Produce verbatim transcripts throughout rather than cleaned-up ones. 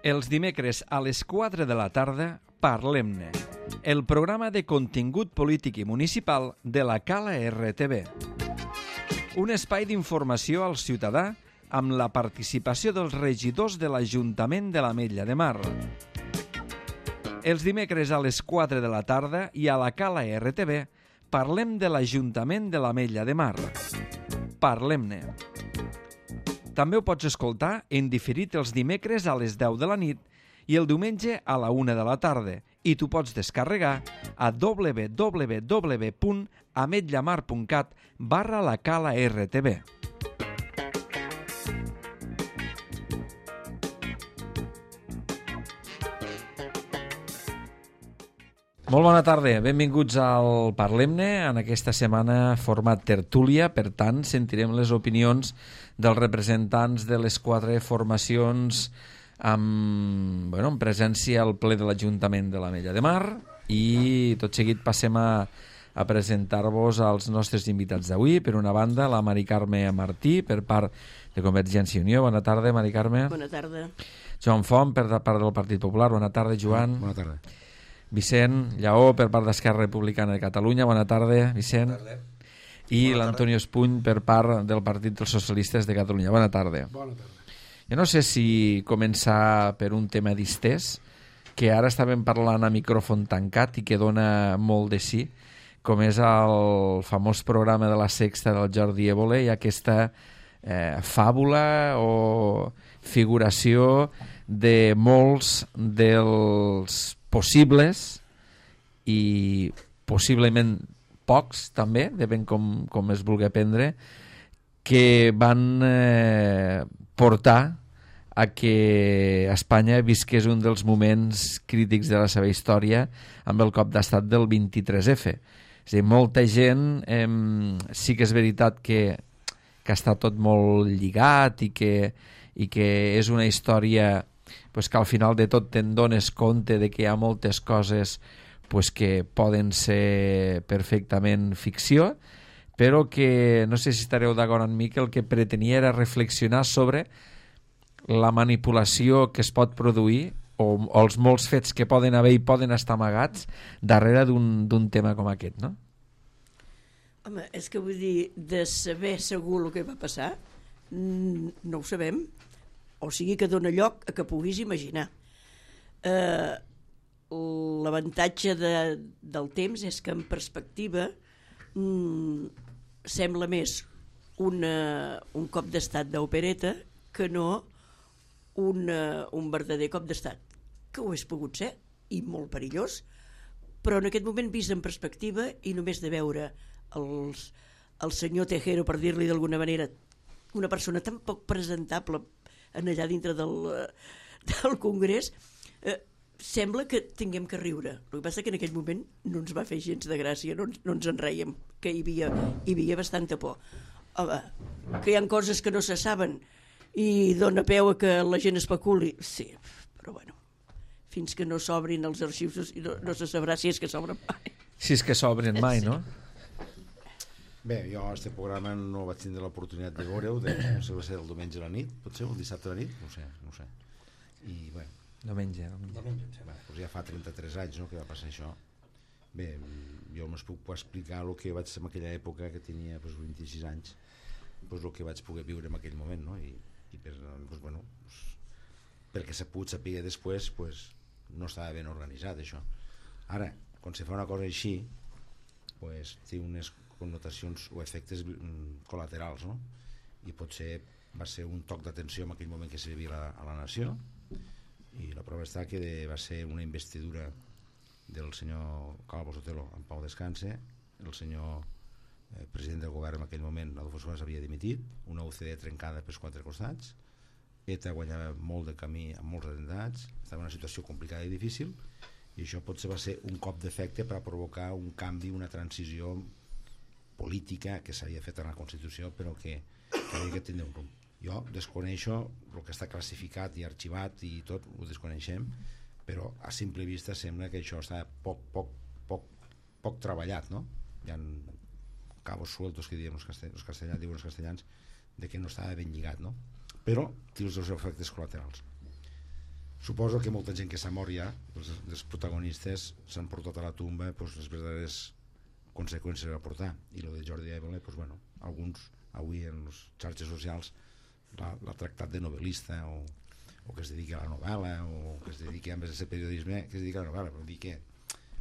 Els dimecres a les quatre de la tarda, Parlem-ne, el programa de contingut polític i municipal de la Cala R T V. Un espai d'informació al ciutadà amb la participació dels regidors de l'Ajuntament de l'Ametlla de Mar. Els dimecres a les quatre de la tarda i a la Cala R T V parlem de l'Ajuntament de l'Ametlla de Mar. Parlem-ne. També ho pots escoltar en diferit els dimecres a les deu de la nit i el diumenge a la una de la tarda i t'ho pots descarregar a w w w punt ametllamar punt cat barra la Cala R T V. Molt bona tarda, benvinguts al Parlem-ne, en aquesta setmana format tertúlia, per tant sentirem les opinions dels representants de les quatre formacions amb, bueno, en presència al ple de l'Ajuntament de l'Ametlla de Mar i tot seguit passem a, a presentar-vos als nostres invitats d'avui. Per una banda, la Mari Carme Martí, per part de Convergència i Unió. Bona tarda, Mari Carme. Bona tarda. Joan Font, per part del Partit Popular. Bona tarda, Joan. Bona tarda. Vicent Lleó, per part d'Esquerra Republicana de Catalunya. Bona tarda, Vicent. Bona tarda. I l'Antonio Espuny, per part del Partit dels Socialistes de Catalunya. Bona tarda. Bona tarda. Jo no sé si començar per un tema distès, que ara estàvem parlant a micròfon tancat i que dona molt de sí, com és el famós programa de la Sexta del Jordi Évole i aquesta eh, fàbula o figuració de molts dels possibles i possiblement pocs també, depèn com, com es vulgui prendre, que van eh, portar a que Espanya visqués un dels moments crítics de la seva història amb el cop d'estat del vint-i-tres efa. És a dir, molta gent, eh, sí que és veritat que, que està tot molt lligat i que, i que és una història pues, que al final de tot te'n dones compte de que hi ha moltes coses pues, que poden ser perfectament ficció, però que no sé si estareu d'acord amb mi que el que pretenia era reflexionar sobre la manipulació que es pot produir o, o els molts fets que poden haver i poden estar amagats darrere d'un tema com aquest, no? Home, és que vull dir, de saber segur el que va passar, no ho sabem, o sigui que dona lloc a que puguis imaginar. Eh, L'avantatge de, del temps és que en perspectiva mm, sembla més una, un cop d'estat d'opereta que no una, un verdader cop d'estat, que ho és pogut ser i molt perillós, però en aquest moment vist en perspectiva i només de veure els, el senyor Tejero, per dir-li d'alguna manera, una persona tan poc presentable en allà dintre del, del Congrés, eh, sembla que tinguem que riure. El que passa que en aquell moment no ens va fer gens de gràcia, no, no ens en reiem, que hi havia, hi havia bastanta por. Home, que hi ha coses que no se saben i dona peu a que la gent especuli, sí, però bueno, fins que no s'obrin els arxius no, no se sabrà si és que s'obren mai. Si és que s'obren mai, no? Bé, jo aquest programa no vaig tindre l'oportunitat de veure-ho, de, no sé, va ser el diumenge a la nit, potser, el dissabte a la nit, no sé, no sé. I, bueno, Diumenge, diumenge. Bé, doncs ja fa trenta-tres anys, no?, que va passar això. Bé, jo només puc explicar el que vaig ser en aquella època, que tenia doncs, vint-i-sis anys, doncs, el que vaig poder viure en aquell moment, no? I, i per, doncs, bueno, doncs, perquè s'ha pogut saber després, doncs, no estava ben organitzat, això. Ara, quan se fa una cosa així, doncs, té unes connotacions o efectes col·laterals, no? I potser va ser un toc d'atenció en aquell moment que se vivia a la, a la nació, i la prova està que de, va ser una investidura del senyor Calvo Sotelo en pau descanse, el senyor eh, president del govern en aquell moment, Adolfo Suárez, havia dimitit, una U C D trencada pels quatre costats, ETA guanyava molt de camí amb molts atemptats, estava en una situació complicada i difícil, i això potser va ser un cop d'efecte per a provocar un canvi, una transició política que s'havia fet en la Constitució, però que, que havia que tindre un rumb. Jo desconeixo el que està classificat i arxivat i tot, ho desconeixem, però a simple vista sembla que això està poc, poc, poc, poc treballat, no? Hi ha cabos sueltos que diem els castellans, els castellans, diuen els castellans, de que no estava ben lligat, no? Però té els seus efectes col·laterals. suposo que molta gent que s'ha mort ja, els, els protagonistes s'han portat a la tumba pues, les verdaderes conseqüències a portar, i lo de Jordi Évole pues, bueno, alguns avui en les xarxes socials l'ha tractat de novel·lista o, o que es dedica a la novel·la o que es dedica a ser periodisme, que es dedica a la novel·la, però dir que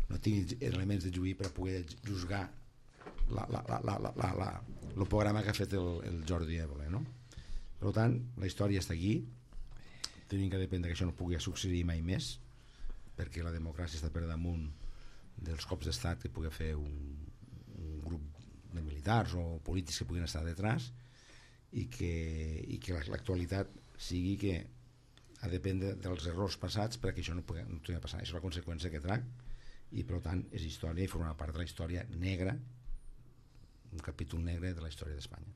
no tingui elements de juí per poder juzgar la, la, la, la, la, la, la, el programa que ha fet el, el Jordi Évole, no? Per tant, la història està aquí, tenim que dependre que això no pugui succeir mai més, perquè la democràcia està per damunt dels cops d'estat que pugui fer un, un grup de militars o polítics que puguin estar detrás, i que, i que l'actualitat sigui que ha de dependre dels errors passats perquè això no pugui, no pugui passar. Això és la conseqüència que trac, i per tant és història i forma part de la història negra, un capítol negre de la història d'Espanya.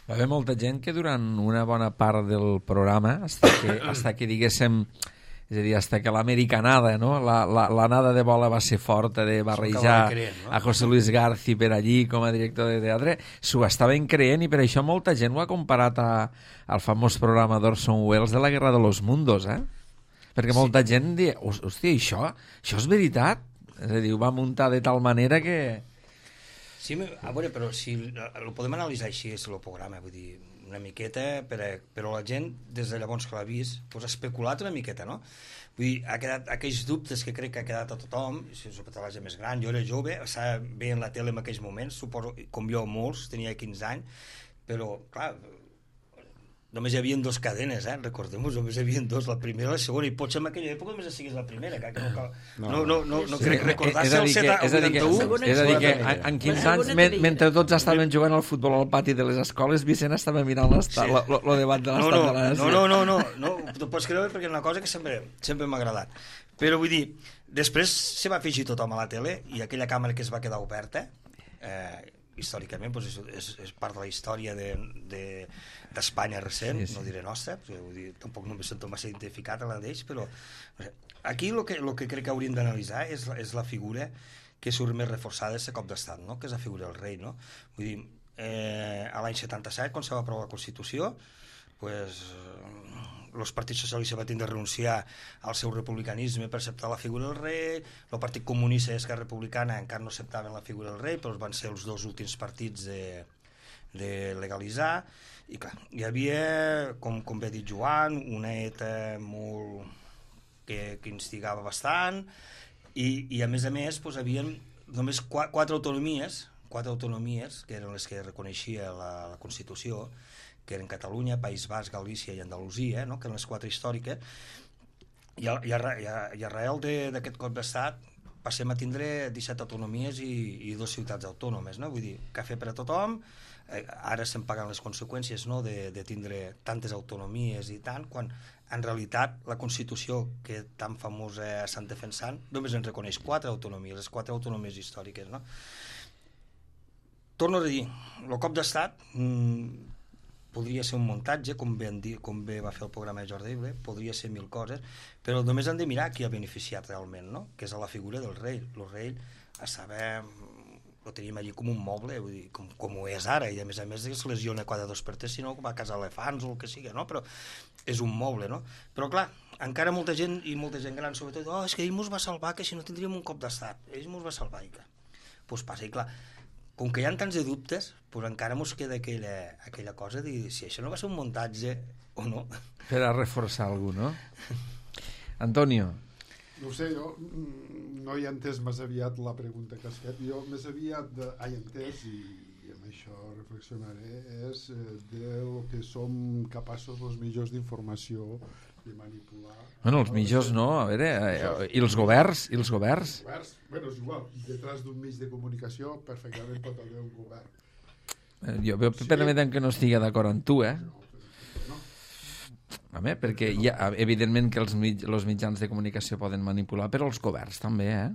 Va haver molta gent que durant una bona part del programa, hasta que, hasta que diguéssim, és a dir, hasta que l'americanada, no? la, la, la nada de bola va ser forta de barrejar creent, no? a José Luis Garci per allí com a director de teatre, s'ho estaven creent, i per això molta gent ho ha comparat a, al famós programa d'Orson Welles de la Guerra de los Mundos, eh? Perquè molta sí. gent diu, hòstia, això, això és veritat? És a dir, ho va muntar de tal manera que... Sí, a veure, però si ho podem analitzar així, és el programa, vull dir, una miqueta, però, però la gent, des de llavors que l'ha vist, pues, ha especulat una miqueta, no? Vull dir, ha quedat aquells dubtes que crec que ha quedat a tothom, sobretot a la gent més gran, jo era jove, estava veient la tele en aquells moments, suposo, com jo molts, tenia quinze anys, però, clar, només hi havia dos cadenes, eh? Recordem-ho, només hi havia dos, la primera i la segona, i potser en aquella època només sigués la primera, que no cal... No, no, no, no, no crec recordar-se el vuitanta-u. És a dir que en quinze anys, mentre tots estaven jugant al futbol al pati de les escoles, Vicent estava mirant el debat de l'estat de la nació. No, no, no, no, t'ho pots creure perquè és una cosa que sempre m'ha agradat. Però vull dir, després se va afegir tothom a la tele, i aquella càmera que es va quedar oberta, històricament, doncs és, és, és part de la història d'Espanya de, recent, sí, sí. No diré nostra, perquè vull dir, tampoc no me sento massa identificat amb d'ells, però aquí el que, lo que crec que hauríem d'analitzar és, és la figura que surt més reforçada d'aquest cop d'estat, no? Que és la figura del rei, no? Vull dir, eh, a l'any setanta-set, quan se va aprovar la Constitució, pues, els partits socialistes van tindre de renunciar al seu republicanisme per acceptar la figura del rei, el Partit Comunista i Esquerra Republicana encara no acceptaven la figura del rei, però van ser els dos últims partits de, de legalitzar, i clar, hi havia, com, com bé ha dit Joan, una ETA molt que, que instigava bastant, i, i a més a més doncs, havien només quatre, quatre autonomies, quatre autonomies, que eren les que reconeixia la, la Constitució, que eren Catalunya, País Basc, Galícia i Andalusia, no? Que eren les quatre històriques, i, a, i, a, i arrel d'aquest cop d'estat passem a tindre disset autonomies i, i dues ciutats autònomes, no? Vull dir, cafè per a tothom, eh, ara se'n paguen les conseqüències, no? de, de tindre tantes autonomies i tant, quan en realitat la Constitució que tan famosa estan defensant només en reconeix quatre autonomies, les quatre autonomies històriques, no? Torno a dir, el cop d'estat mmm, podria ser un muntatge, com bé, dir, com bé va fer el programa de Jordi Évole, podria ser mil coses, però només han de mirar qui ha beneficiat realment, no? Que és a la figura del rei. El rei estava, ho teníem allí com un moble, vull dir, com, com ho és ara, i a més a més es lesiona cada dos per tres, si no va a casa elefants o el que sigui, no? Però és un moble, no? Però clar, encara molta gent, i molta gent gran sobretot, oh, és que ell mos va salvar, que si no tindríem un cop d'estat, ell mos va salvar, i clar, doncs passa, i clar, com que hi ha tants de dubtes, doncs encara ens queda aquella, aquella cosa de dir si això no va ser un muntatge o no. Per a reforçar algú, no? Antonio. No sé, jo no he entès més aviat la pregunta que has fet. Jo més aviat de, he entès, i, i amb això reflexionaré, és del que som capaços els mitjans d'informació de manipular. Bueno, els mitjans no, a veure, eh, i els governs, i els governs. Els governs, bueno, és igual, detrás d'un mig de comunicació perfectament pot haver un govern. Eh, jo veu sí. Permetem que no estigui d'acord amb tu, eh? No, no. Home, perquè hi ha, evidentment que els, mig, els mitjans de comunicació poden manipular, però els governs també, eh?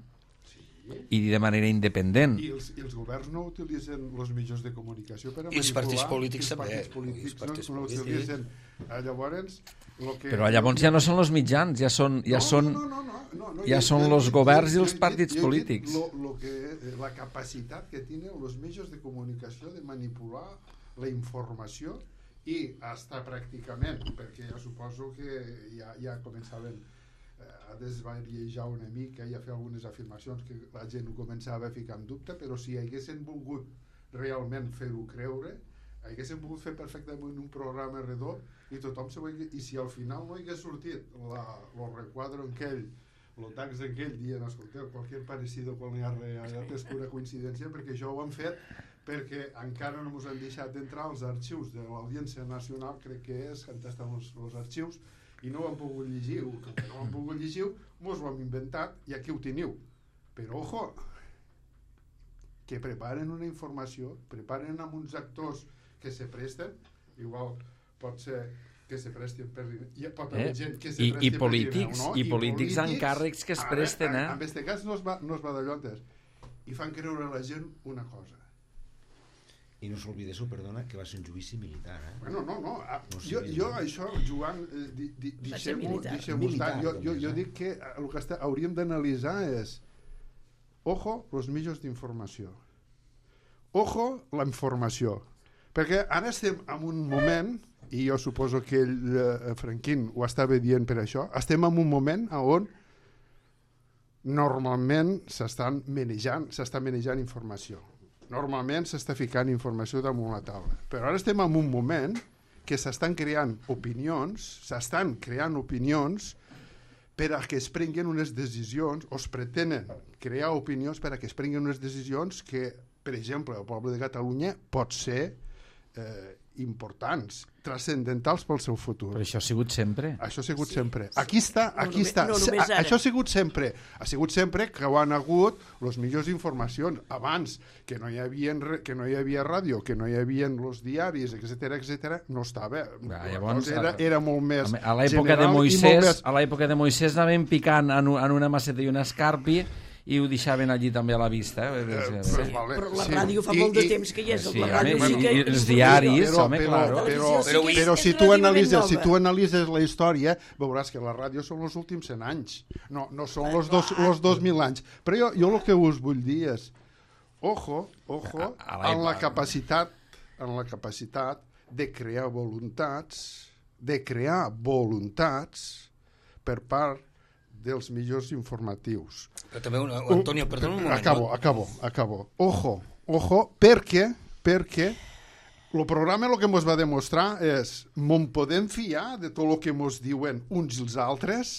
I de manera independent. I els, i els governs no utilitzen els mitjans de comunicació per a manipular. I els partits polítics també. Els partits polítics, els partits no, no utilitzen. Llavors, lo que... Però llavors ja no són els mitjans, ja són, ja no, són, no, no, no, no, no, ja jo, són jo, els jo, governs jo, i els partits jo, jo, polítics. Lo, lo que, la capacitat que tenen els mitjans de comunicació de manipular la informació i hasta pràcticament, perquè ja suposo que ja, ja començaven a desvariejar una mica i a fer algunes afirmacions que la gent ho començava a ficar en dubte, però si haguessin volgut realment fer-ho creure, haguessin pogut fer perfectament un programa redó i tothom se ho hagués... I si al final no hagués sortit el requadro aquell, el tax aquell dient, escolteu, qualsevol parecido con la realitat és pura coincidència, perquè això ho han fet perquè encara no ens han deixat entrar als arxius de l'Audiència Nacional, crec que és, on estan els, els arxius, i no ho han pogut llegir, que no ho han pogut llegir, mos ho hem inventat i aquí ho teniu. Però, ojo, que preparen una informació, preparen amb uns actors que se presten, igual pot ser que se prestin per... Hi pot haver eh? gent que se I, presti i polítics, per no? i, I polítics amb càrrecs que es presten, eh? En aquest cas no es va, no es va de llontes. I fan creure a la gent una cosa. I no s'oblidéssiu, perdona, que va ser un judici militar, eh? Bueno, no, no. no jo, jo això, Joan, eh, di, di, deixem-ho estar. Jo, jo, jo dic que el que està, hauríem d'analitzar és ojo, els mitjans d'informació. Ojo, la informació. Perquè ara estem en un moment, i jo suposo que ell, eh, Franquín, ho estava dient per això, estem en un moment on normalment s'estan manejant, s'està manejant informació. Normalment s'està ficant informació damunt la taula. Però ara estem en un moment que s'estan creant opinions, s'estan creant opinions per a que es prenguin unes decisions, o es pretenen crear opinions per a que es prenguin unes decisions que, per exemple, el poble de Catalunya pot ser eh, importants, transcendentals pel seu futur. Però això ha sigut sempre. Això ha sigut Sí. sempre. Aquí està, No aquí només- està. no Se- només ara. Això ha sigut sempre. Ha sigut sempre que ho han hagut les millors informacions. Abans, que no hi havia, re- que no hi havia ràdio, que no hi havia els diaris, etcètera, etcètera, no estava. Ah, La llavors, cosa era, era molt més A l'època de general i molt Moisès, més- a l'època de Moisès anaven picant en, un- en una maceta i una escarpi i ho deixaven allí també a la vista. Eh? Eh, Sí. però, vale, Però la sí. ràdio fa I- molt de i- temps que hi és. Sí, la home, ràdio i- sí que i és els molt diaris, millor. home, però, claro. però, Televisió sí però, que és- però és si, tu relativament analitzes, si nova. tu analitzes la història, veuràs que la ràdio són els últims cent anys. No, no són els dos, els dos mil anys. Però jo, jo el que us vull dir és ojo, ojo, A- a en la l'època. capacitat en la capacitat de crear voluntats, de crear voluntats per part dels millors informatius. Però també, una, Antonio, perdona un moment. Acabo, acabo, acabo. Ojo, ojo, perquè, perquè el programa el que ens va demostrar és m'en podem fiar de tot el que ens diuen uns i els altres?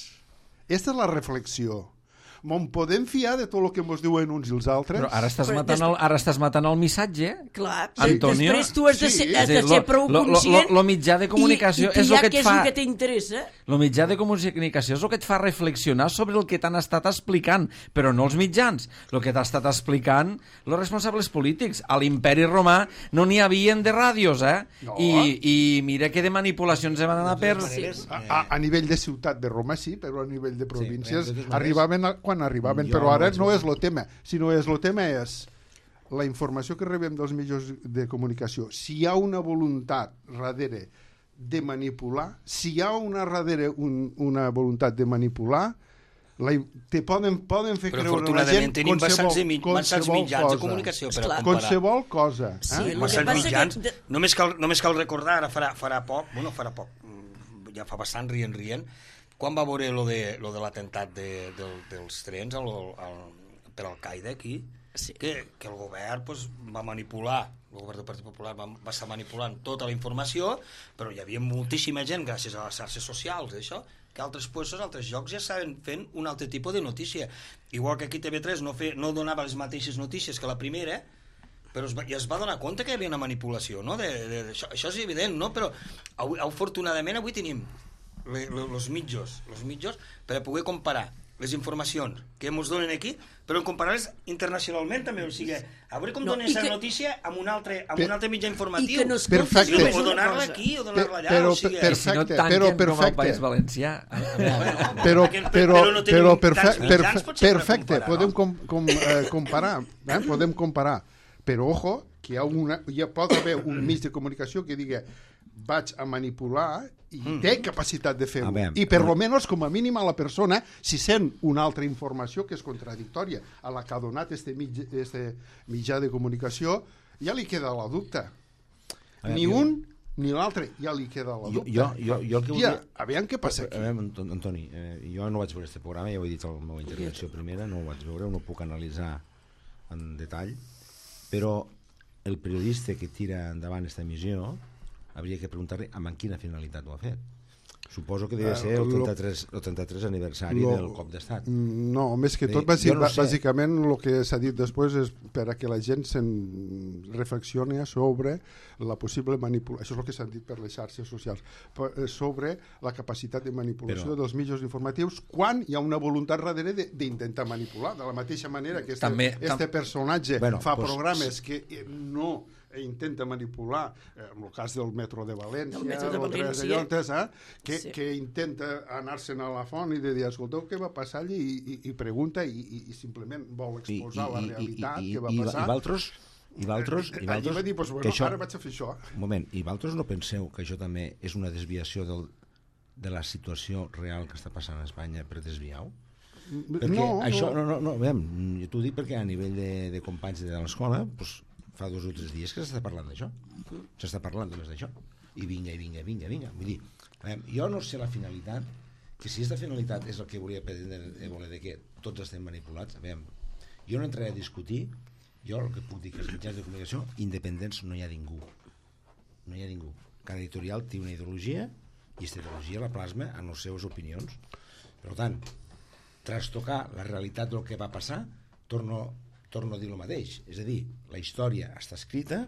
Aquesta és la reflexió. M'en podem fiar de tot el que ens diuen uns i els altres? Però ara estàs, Però matant el, ara estàs matant el missatge. Clar, Antonio, després tu has de ser, sí. has de És a dir, ser lo- prou lo- lo- conscient lo mitjà de comunicació i, i és el que et què és fa- el que t'interessa. El mitjà de comunicació és el que et fa reflexionar sobre el que t'han estat explicant, però no els mitjans. El que t'ha estat explicant els responsables polítics. A l'imperi romà no n'hi havien de ràdios, eh? No. I, I mira que de manipulacions van anar per... Sí. A, a, a nivell de ciutat de Roma sí, però a nivell de províncies però de totes maneres, arribaven a, quan arribaven, jo però ara vaig no veure- és el tema, sinó és el tema és la informació que rebem dels mitjans de comunicació. Si hi ha una voluntat darrere de manipular, si hi ha una darrere un, una voluntat de manipular, la, te poden, poden fer Però creure a la afortunadament gent tenim bastants, de, mi- bastants qualsevol mitjans de cosa. comunicació per a Esclar. comparar. Qualsevol cosa. Eh? Sí, el que Bastants passa mitjans. que de- Només, cal, només cal recordar, ara farà, farà poc, bueno, farà poc, mm, ja fa bastant rient, rient, quan va veure lo de, lo de l'atemptat de, del, dels trens al, al, per Al-Qaeda aquí, Sí. que, que el govern pues, va manipular, el govern del Partit Popular va, va estar manipulant tota la informació, però hi havia moltíssima gent, gràcies a les xarxes socials, això, que altres puestos, altres llocs ja estaven fent un altre tipus de notícia. Igual que aquí T V tres no, fe, no donava les mateixes notícies que la primera, però es va, ja es va donar compte que hi havia una manipulació, no? De, de, de, això, això és evident, no? Però avui, afortunadament avui tenim els mitjos, els mitjos per a poder comparar les informacions que ens donen aquí, però comparar-les internacionalment també, o sigui, a veure com No, donen i aquesta que- notícia amb un altre, amb Per- un altre mitjà I informatiu. que no escoltes Perfecte. només o una donar-la cosa. aquí o donar-la allà, Però- o sigui... per- I si no Perfecte, tanquen però com al perfecte. País Valencià. però, Perquè- però, però no tenim però tants perfe mitjans, perfe potser, per perfecte, comparar, podem no? com, com, eh, comparar, eh? podem comparar, però ojo, que hi ha, una, hi ha, pot haver un mig de comunicació que diga vaig a manipular i Mm. té capacitat de fer-ho. A veure, I per lo menos, com a mínim, a la persona, si sent una altra informació que és contradictòria a la que ha donat este, mig, este mitjà de comunicació, ja li queda la dubte. A veure, Ni jo- un ni l'altre, ja li queda la Jo, dubte. jo, jo, jo el que Hòstia, volia... aviam què passa aquí. A veure, Anto- Antoni, eh, jo no vaig veure aquest programa, ja ho he dit a la meva intervenció primera, no ho vaig veure, no ho puc analitzar en detall, però el periodista que tira endavant aquesta emissió hauria que preguntar-li amb quina finalitat ho ha fet. Suposo que deve ser el trenta-tres, el trenta-tres aniversari lo, del cop d'estat. No, més que tot, Bé, bàsic, jo no sé. bàsicament el que s'ha dit després és per a que la gent se'n reflexioni sobre la possible manipulació, això és el que s'han dit per les xarxes socials, per, sobre la capacitat de manipulació Però- dels mitjans informatius quan hi ha una voluntat darrere de- d'intentar manipular, de la mateixa manera que este, També- este personatge Bueno, fa pues, programes que eh, no intenta manipular, eh, en el cas del metro de València, Del metro de o tres València. llotes, eh, que, Sí. que intenta anar-se'n a la font i de dir, escolteu, què va passar allí? I, i, i pregunta i, i, i simplement vol exposar la realitat que va i, passar. I valtros, i valtros, i Allí valtros va dir, pues, que bueno, això, ara vaig a fer això. un moment, i valtros no penseu que això també és una desviació del, de la situació real que està passant a Espanya per desviar-ho? Perquè no, això, no. no, no, no, veiem, jo t'ho dic perquè a nivell de, de companys de l'escola, doncs, fa dos o tres dies que s'està parlant d'això. S'està parlant només d'això. I vinga, i vinga, i vinga, vinga. Vull dir, veiem, jo no sé la finalitat, que si aquesta finalitat és el que volia pretendre voler de que tots estem manipulats, veiem, jo no entraré a discutir, jo el que puc dir que els mitjans de comunicació independents no hi ha ningú. No hi ha ningú. Cada editorial té una ideologia i aquesta ideologia la plasma en les seves opinions. Per tant, trastocar la realitat del que va passar, torno, torno a dir el mateix. És a dir, la història està escrita,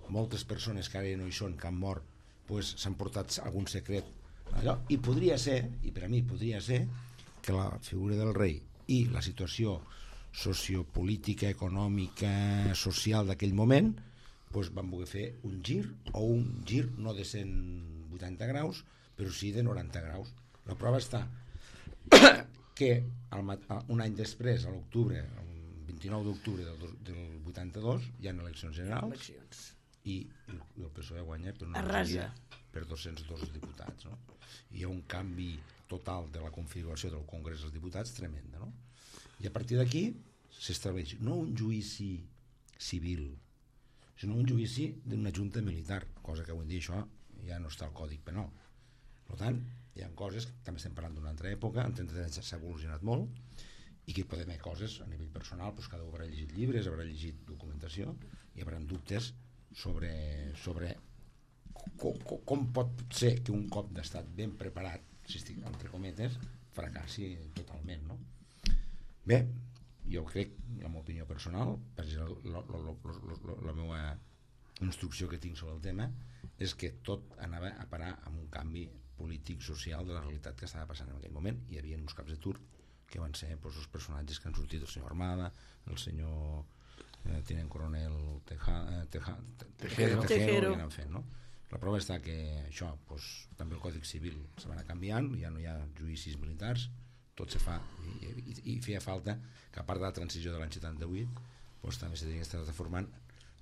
moltes persones que ara no hi són, que han mort, pues, s'han portat algun secret allò, i podria ser, i per a mi podria ser, que la figura del rei i la situació sociopolítica, econòmica, social d'aquell moment, pues, van voler fer un gir, o un gir no de cent vuitanta graus, però sí de noranta graus. La prova està que el, un any després, a l'octubre, el vint-i-nou d'octubre del, dos- del vuitanta-dos, hi ha eleccions generals Eleccions. i el, el P S O E guanya per una Arrasa. majoria per dos-cents dos diputats, no? Hi ha un canvi total de la configuració del Congrés dels Diputats tremenda, no? I a partir d'aquí s'estableix no un judici civil, sinó un judici d'una junta militar, cosa que avui en dia això ja no està al Còdic Penal. Per tant, hi ha coses, també estem parlant d'una altra època, en trenta anys s'ha evolucionat molt, i que hi podem haver coses a nivell personal, doncs cada un haurà llegit llibres, haurà llegit documentació, i hi haurà dubtes sobre, sobre com, com, com pot ser que un cop d'estat ben preparat, si estic entre cometes, fracassi totalment, no? Bé, jo crec, la meva opinió personal, per exemple, la, la, la, la, la meva instrucció que tinc sobre el tema, és que tot anava a parar amb un canvi polític, social, de la realitat que estava passant en aquell moment. Hi havia uns caps de turc que van ser doncs, els personatges que han sortit, el senyor Armada, el senyor eh, tinent coronel Teja, eh, Teja, Tejero. Tejero, Tejero. i anant fent, no? La prova està que això, doncs, també el Còdic Civil se va anar canviant, ja no hi ha judicis militars, tot se fa, i, i, i feia falta que a part de la transició de l'any setanta-vuit doncs, també s'hauria d'estar transformant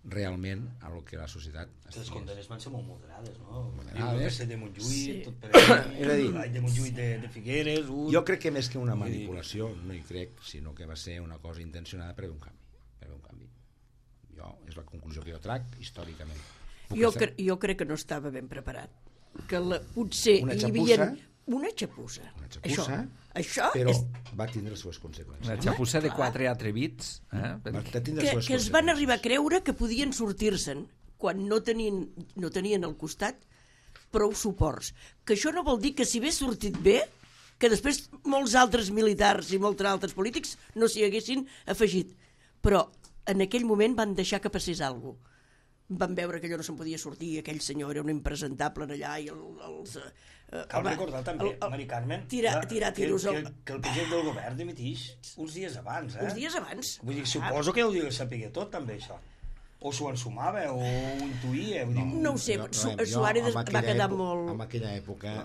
realment a lo que la societat Les condenes van ser molt moderades, no? Moderades. Jo de Montjuïc, Sí. tot per allà, És a dir, l'any de Montjuïc de, de Figueres, un... jo crec que més que una manipulació no hi crec, sinó que va ser una cosa intencionada per haver un canvi, per haver un canvi. Jo, és la conclusió que jo trac històricament. Puc Jo, estar- cre jo crec que no estava ben preparat. Que la, potser Una hi xapussa? havia... Una xapussa. Una xapussa, Això, això però és va tindre les seves conseqüències. Una xapussa de quatre atrevits. Eh? Va tindre que, les seves que es van conseqüències. arribar a creure que podien sortir-se'n quan no tenien, no tenien al costat prou suports. Que això no vol dir que si hagués sortit bé, que després molts altres militars i molts altres polítics no s'hi haguessin afegit. Però en aquell moment van deixar que passés alguna cosa. Van veure que allò no se'n podia sortir, aquell senyor era un impresentable en allà i el, els... Eh, Cal home, recordar també, el- el- Mari Carmen, tirar, que- tirar tiros que, al- que, que el president del govern dimitix uns dies abans, eh? uns dies abans. Vull dir, suposo que ho devia saber tot, també, això. O s'ho ensumava, o ho intuïa. Vull dir, No ho sé, Jo- Su- jo, Suárez en va aquella quedar època- molt- En aquella època,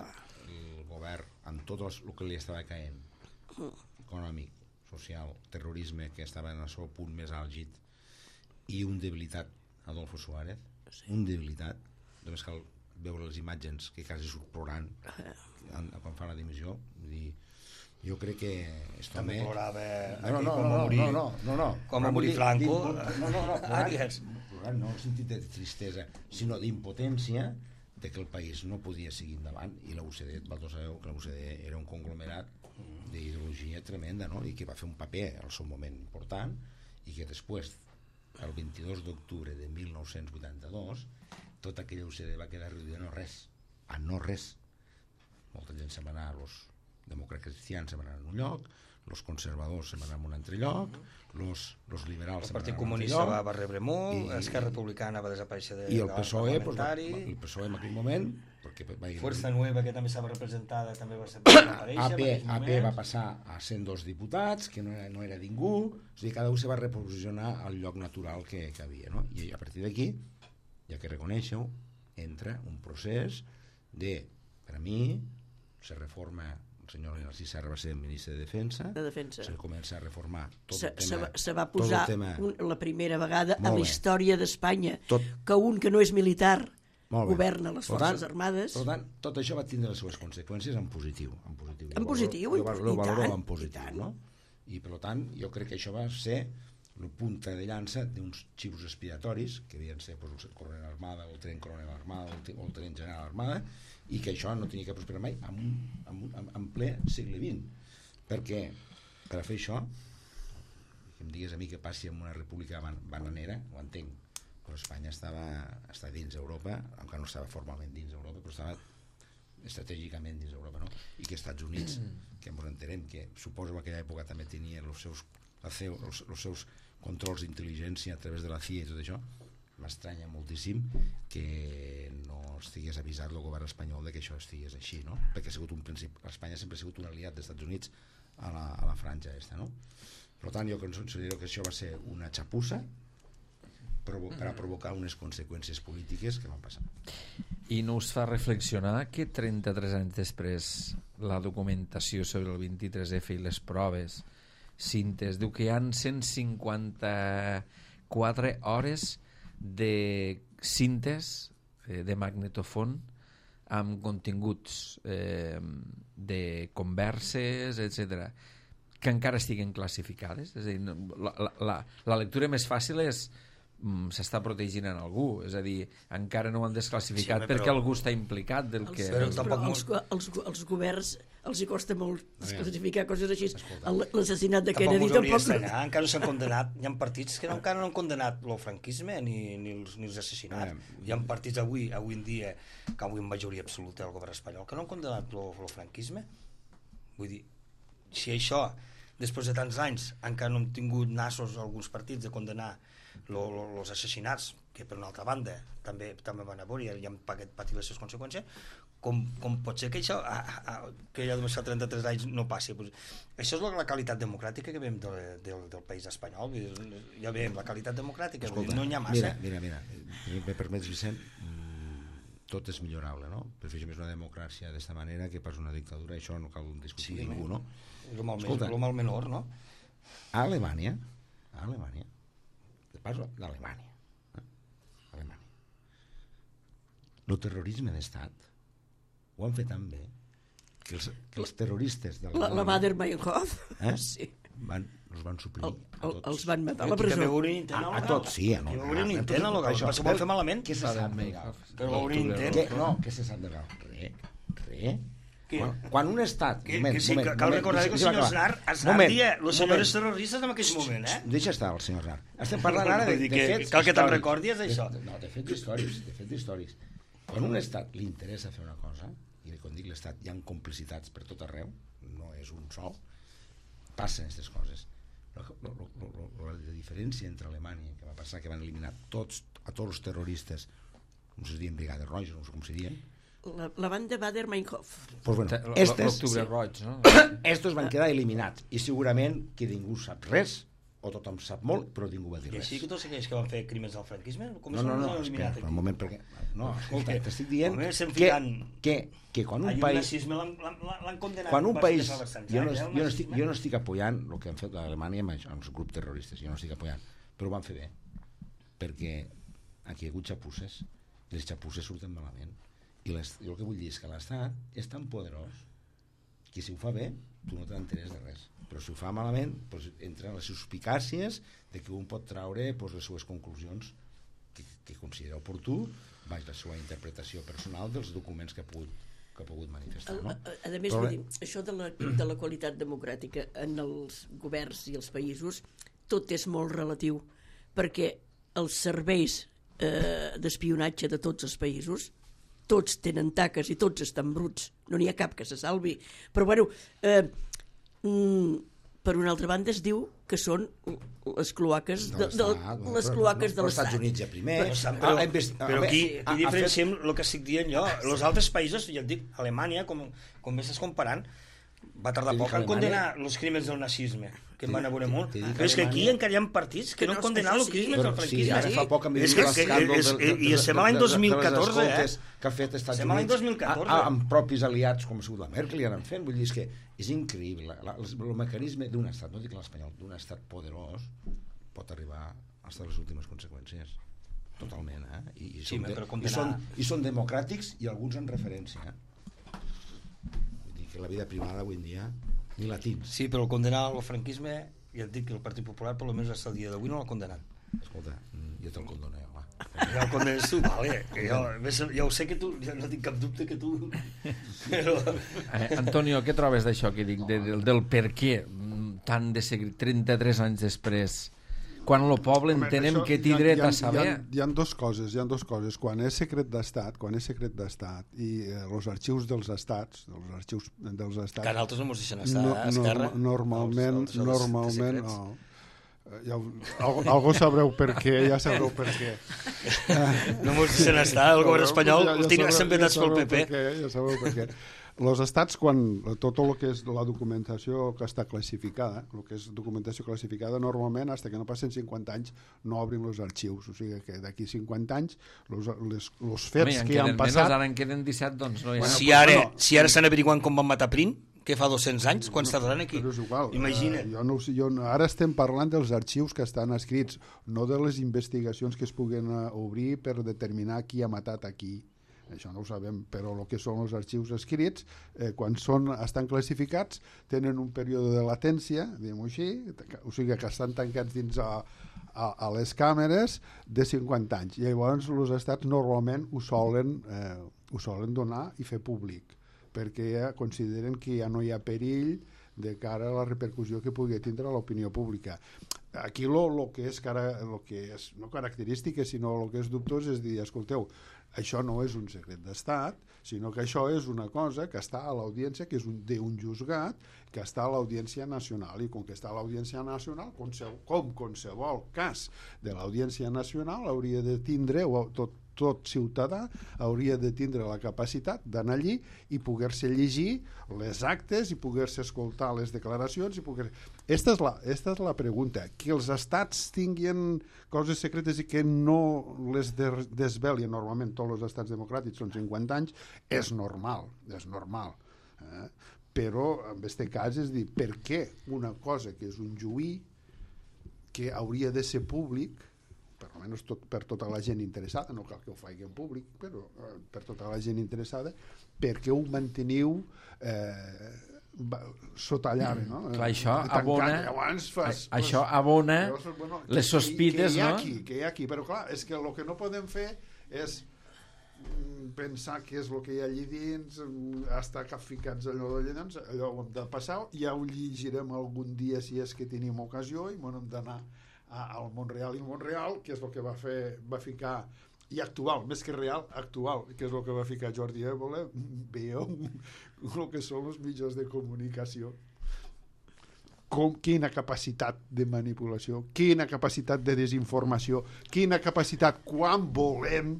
el govern, amb tot els- el que li estava caent, econòmic, social, terrorisme, que estava en el seu punt més àlgid, i un debilitat, Adolfo Suárez, un debilitat, només cal veure les imatges que quasi surt plorant en- quan fa la dimissió. Vull dir, jo crec que esto també me- plorava no, aquí no, quan no, va no, morir. no, no, no, no. Quan va Vull morir dir, Franco. d'impo- No, no, no, Ah, plorant, digues. plorant no en el sentit de tristesa, sinó d'impotència de que el país no podia seguir endavant, i la U C D, vosaltres sabeu que la U C D era un conglomerat d'ideologia tremenda, no? I que va fer un paper al seu moment important, i que després, el vint-i-dos d'octubre de mil nou-cents vuitanta-dos, tota aquella U C D va quedar reduïda a no res, a no res. Molta gent se'n va anar, els demòcrates cristians se'n van anar en un lloc, els conservadors se'n van anar en un altre lloc, els liberals el se'n van Partit anar en un altre Comunista lloc, va, va rebre molt, i- Esquerra Republicana va desaparèixer de, i el de P S O E, pues, va, parlamentari, el P S O E en aquell moment, perquè va ir, Fuerza Nueva, que també estava representada, també va ser A desaparèixer. P, A P va passar a cent dos diputats, que no era, no era ningú, o sigui, cada un se va reposicionar al lloc natural que, que havia, no? I a partir d'aquí, ja que reconeixeu, entra un procés de, per a mi, se reforma, el senyor Narcís Serra va ser ministre de Defensa, De Defensa. se comença a reformar tot Se, el se, tema, va- se va tot el posar tema, un, la primera vegada a Molt la bé. història d'Espanya Tot- que un que no és militar Molt bé. governa les Per Forces tant, Armades. Per tant, tot això va tindre les seves conseqüències en positiu. En positiu, En positiu, jo, i- valoro, jo i valoro tant, en i positiu, tant. no? I per tant, jo crec que això va ser la punta de llança d'uns xivos expiratoris, que havien ser pues, el coronel Armada, o el tren coronel Armada, o el, te- o el tren general Armada, i que això no tenia que prosperar mai en, un, en, un, en, en ple segle vint. Perquè, per a fer això, que em digues a mi que passi en una república ban bananera, ho entenc, però Espanya estava, estava dins d'Europa, encara no estava formalment dins d'Europa, però estava estratègicament dins d'Europa, no? I que Estats Units, que ens entenem que suposo que en aquella època també tenia els seus, la C E O, els, els seus controls d'intel·ligència a través de la C I A i tot això, m'estranya moltíssim que no estigués avisat el govern espanyol de que això estigués així, no? Perquè ha sigut un principi, Espanya sempre ha sigut un aliat dels Estats Units a la, a la franja aquesta, no? Per tant, jo considero que això va ser una xapussa provo per a provocar unes conseqüències polítiques que van passar. I no us fa reflexionar que trenta-tres anys després la documentació sobre el vint-i-tres F i les proves cintes diu que hi ha cent cinquanta-quatre hores de cintes eh, de magnetofon amb continguts eh, de converses, etcètera, que encara estiguen classificades. És a dir, no, la, la, la lectura més fàcil és s'està protegint en algú, és a dir, encara no ho han desclassificat Sí, perquè però- algú està implicat del Els, que... Però els, tampoc però molt- els, go- els, go- els governs els hi costa molt veure, classificar coses així. escolta. El- L'assassinat de Tampoc Kennedy us hauria tampoc... d'estranyar, encara no s'han condemnat, hi ha partits que no, encara no han condemnat el franquisme ni, ni, els, ni els assassinats. Eh, Hi ha partits avui, avui en dia, que avui en majoria absoluta del govern espanyol, que no han condemnat el franquisme. Vull dir, si això, després de tants anys, encara no hem tingut nassos alguns partits de condenar els assassinats, que per una altra banda també també van a veure i han pagat, patit les seves conseqüències, com, com pot ser que això a, a, que ja només fa trenta-tres anys no passi? Pues, això és la qualitat democràtica que veiem de, de, del país espanyol. Vull dir, ja veiem la qualitat democràtica. Vull dir, no n'hi ha massa. Mira, mira, mira, me permets, Vicent, tot és millorable, no? Per fer més una democràcia d'esta manera que pas una dictadura, això no cal discutir Sí, ningú, no? És el mal, Escolta. més, el mal menor, no? A Alemanya, a Alemanya, de pas d'Alemanya, eh? Alemanya, el terrorisme d'estat ho han fet tan bé que els, que els terroristes La, d'Alemanya la Bader-Meinhof, eh? sí. van, els van suprimir El, a el, tots. els van matar a la Que presó. va haver un intent A, a legal. tots, sí. No, Que va haver un a- a intent tots, legal. això. Va ser- ho van fer malament. Què se sap legal? Que va haver un intent. Què? No, què se sap legal? Re, re. Què? Quan, quan un estat... Que, moment, que sí, moment, que cal moment, recordar que el deixa'm senyor acabar. Aznar, Aznar Moment, dia els moment. senyors terroristes en aquell moment, eh? Deixa estar el senyor Aznar. Estem parlant ara de, Vull dir de que fets cal que te'n històrics. recordi, és això. De, no, de fets històrics, de fets històrics. Quan a un estat li interessa fer una cosa, i quan dic l'estat hi ha complicitats per tot arreu, no és un sol, passen aquestes coses. La, la, la, la, la diferència entre Alemanya, que va passar que van eliminar tots, a tots els terroristes, com se diuen Brigades Roges, no sé com se diuen, La, la banda Bader-Meinhof. pues bueno, L- estes, L'octubre roig, no? estos van quedar eliminats, i segurament que ningú sap res, o tothom sap molt, però ningú va dir I res. així que tots aquells que van fer crims del franquisme, com No, no, no, s'han espera, eliminat per un aquí? moment, perquè... No, escolta, t'estic dient Home, estem que, ficant- que, que quan un Ahir el país... nazisme l'han- l'han l'han condenat. Quan un va ser país... de Salvador Jo no, Sanz, eh, el jo, no estic, nazisme. jo no estic apoyant el que han fet a Alemanya amb, això, amb els grups terroristes, jo no estic apoyant, però ho van fer bé, perquè aquí hi ha hagut xapusses, i les xapusses surten malament. I, les, i el que vull dir és que l'Estat és tan poderós que si ho fa bé, tu no t'enteres de res. Però si ho fa malament, doncs entren les suspicàcies de que un pot traure doncs, les seues conclusions que, que considera oportú vaig, la seva interpretació personal dels documents que ha pogut, que ha pogut manifestar. A, No? a, a més, vull dir, això de la, de la qualitat democràtica en els governs i els països, tot és molt relatiu, perquè els serveis eh, d'espionatge de tots els països, tots tenen taques i tots estan bruts, no n'hi ha cap que se salvi. Però, bueno, eh, mm, per una altra banda es diu que són les cloaques de, de, de, les cloaques de l'Estat. Els Estats Units ja primer. Però, però, però aquí, aquí diferenciem el que estic dient jo. Els altres països, ja et dic, Alemanya, com, com m'estàs comparant, va tardar poc en condenar els crímens del nazisme, que em van a veure molt. Però és que aquí encara hi ha partits que no han condenat els crímens del franquisme. Sí, ara fa poc hem vist l'escàndol i estem a l'any dos mil catorze, eh? Que ha fet Estats Estem a l'any dos mil Units catorze. amb propis aliats com ha sigut la Merkel i han fent. Vull dir, és que és increïble. El mecanisme d'un estat, no dic l'espanyol, d'un estat poderós pot arribar fins a les últimes conseqüències. Totalment, eh? I, i, Sí, són, de, però i, condenar- són, i són democràtics i alguns en referència. Vull dir que la vida privada avui en dia ni la tins. Sí, però el condenar el franquisme, ja et dic que el Partit Popular, per almenys fins al dia d'avui, no l'ha condenat. Escolta, jo te'l condono, va. Ja el condenes tu, vale. Que jo, ja ho sé que tu, ja no tinc cap dubte que tu... Però... Eh, Antonio, què trobes d'això que dic, de, del, del per què mm, tan de seguit, trenta-tres anys després, quan el poble Home, entenem això que té hi ha- dret hi ha- a saber... Hi ha, hi ha dos coses, hi ha dos coses. Quan és secret d'estat, quan és secret d'estat i eh, els arxius dels estats, els arxius dels estats... Que nosaltres no mos deixen estar, no, eh, Esquerra? no, normalment, Els- els- els normalment, secrets. no. Eh, Ja, algo, algo sabreu per què, ja sabreu per què. No mos deixen estar, el govern espanyol Ja- ja el tenia sabreu- sempre vetats ja pel sabreu P P. per què, ja sabeu per què. Els estats, quan tot el que és la documentació que està classificada, el que és documentació classificada, normalment, fins que no passen cinquanta anys, no obrin els arxius. O sigui que d'aquí cinquanta anys, els, les, els fets Home, en que ja han queden passat... menys, ara en queden disset, doncs no hi ha... Bueno, Si pues, ara, bueno, si ara estan averiguant com van matar Prim, que fa dos-cents anys, quants tardaran aquí? Però és igual. Imagina't. Uh, jo no, ho sé, jo, no- ara estem parlant dels arxius que estan escrits, no de les investigacions que es puguen uh, obrir per determinar qui ha matat a qui. Això no ho sabem, però el que són els arxius escrits, eh, quan són, estan classificats, tenen un període de latència, diguem-ho així, o sigui que estan tancats dins a, a, a les càmeres de cinquanta anys. I llavors els estats normalment ho solen, eh, ho solen donar i fer públic, perquè ja consideren que ja no hi ha perill de cara a la repercussió que pugui tindre a l'opinió pública. Aquí lo, lo que és, cara, lo que és no característica, sinó el que és dubtós és dir, escolteu, això no és un secret d'estat, sinó que això és una cosa que està a l'audiència, que és un, d'un juzgat, que està a l'audiència nacional, i com que està a l'audiència nacional, com, com qualsevol cas de l'audiència nacional, hauria de tindre, o tot, tot ciutadà hauria de tindre la capacitat d'anar allí i poder-se llegir les actes i poder-se escoltar les declaracions i poder... Esta és la, esta és la pregunta, que els estats tinguin coses secretes i que no les de, desvelien, normalment tots els estats democràtics són cinquanta anys, és normal, és normal. Eh? Però en aquest cas és dir, per què una cosa que és un juí que hauria de ser públic, per almenys tot, per tota la gent interessada, no cal que ho faci en públic, però eh, per tota la gent interessada, perquè ho manteniu eh, va, sota llave, no? Clar, això Tancat, abona, llavors fas, a- això abona llavors, bueno, les sospites, que, que hi ha no? Aquí, que hi ha aquí, però clar, és que el que no podem fer és mm, pensar què és el que hi ha allí dins, mm, estar capficats allò d'allà dins, allò ho hem de passar, ja ho llegirem algun dia si és que tenim ocasió i bueno, hem d'anar al Montreal i Montreal, que és el que va fer, va ficar, i actual, més que real, actual, que és el que va ficar Jordi Évole, veieu el que són els mitjans de comunicació. Com, quina capacitat de manipulació, quina capacitat de desinformació, quina capacitat quan volem,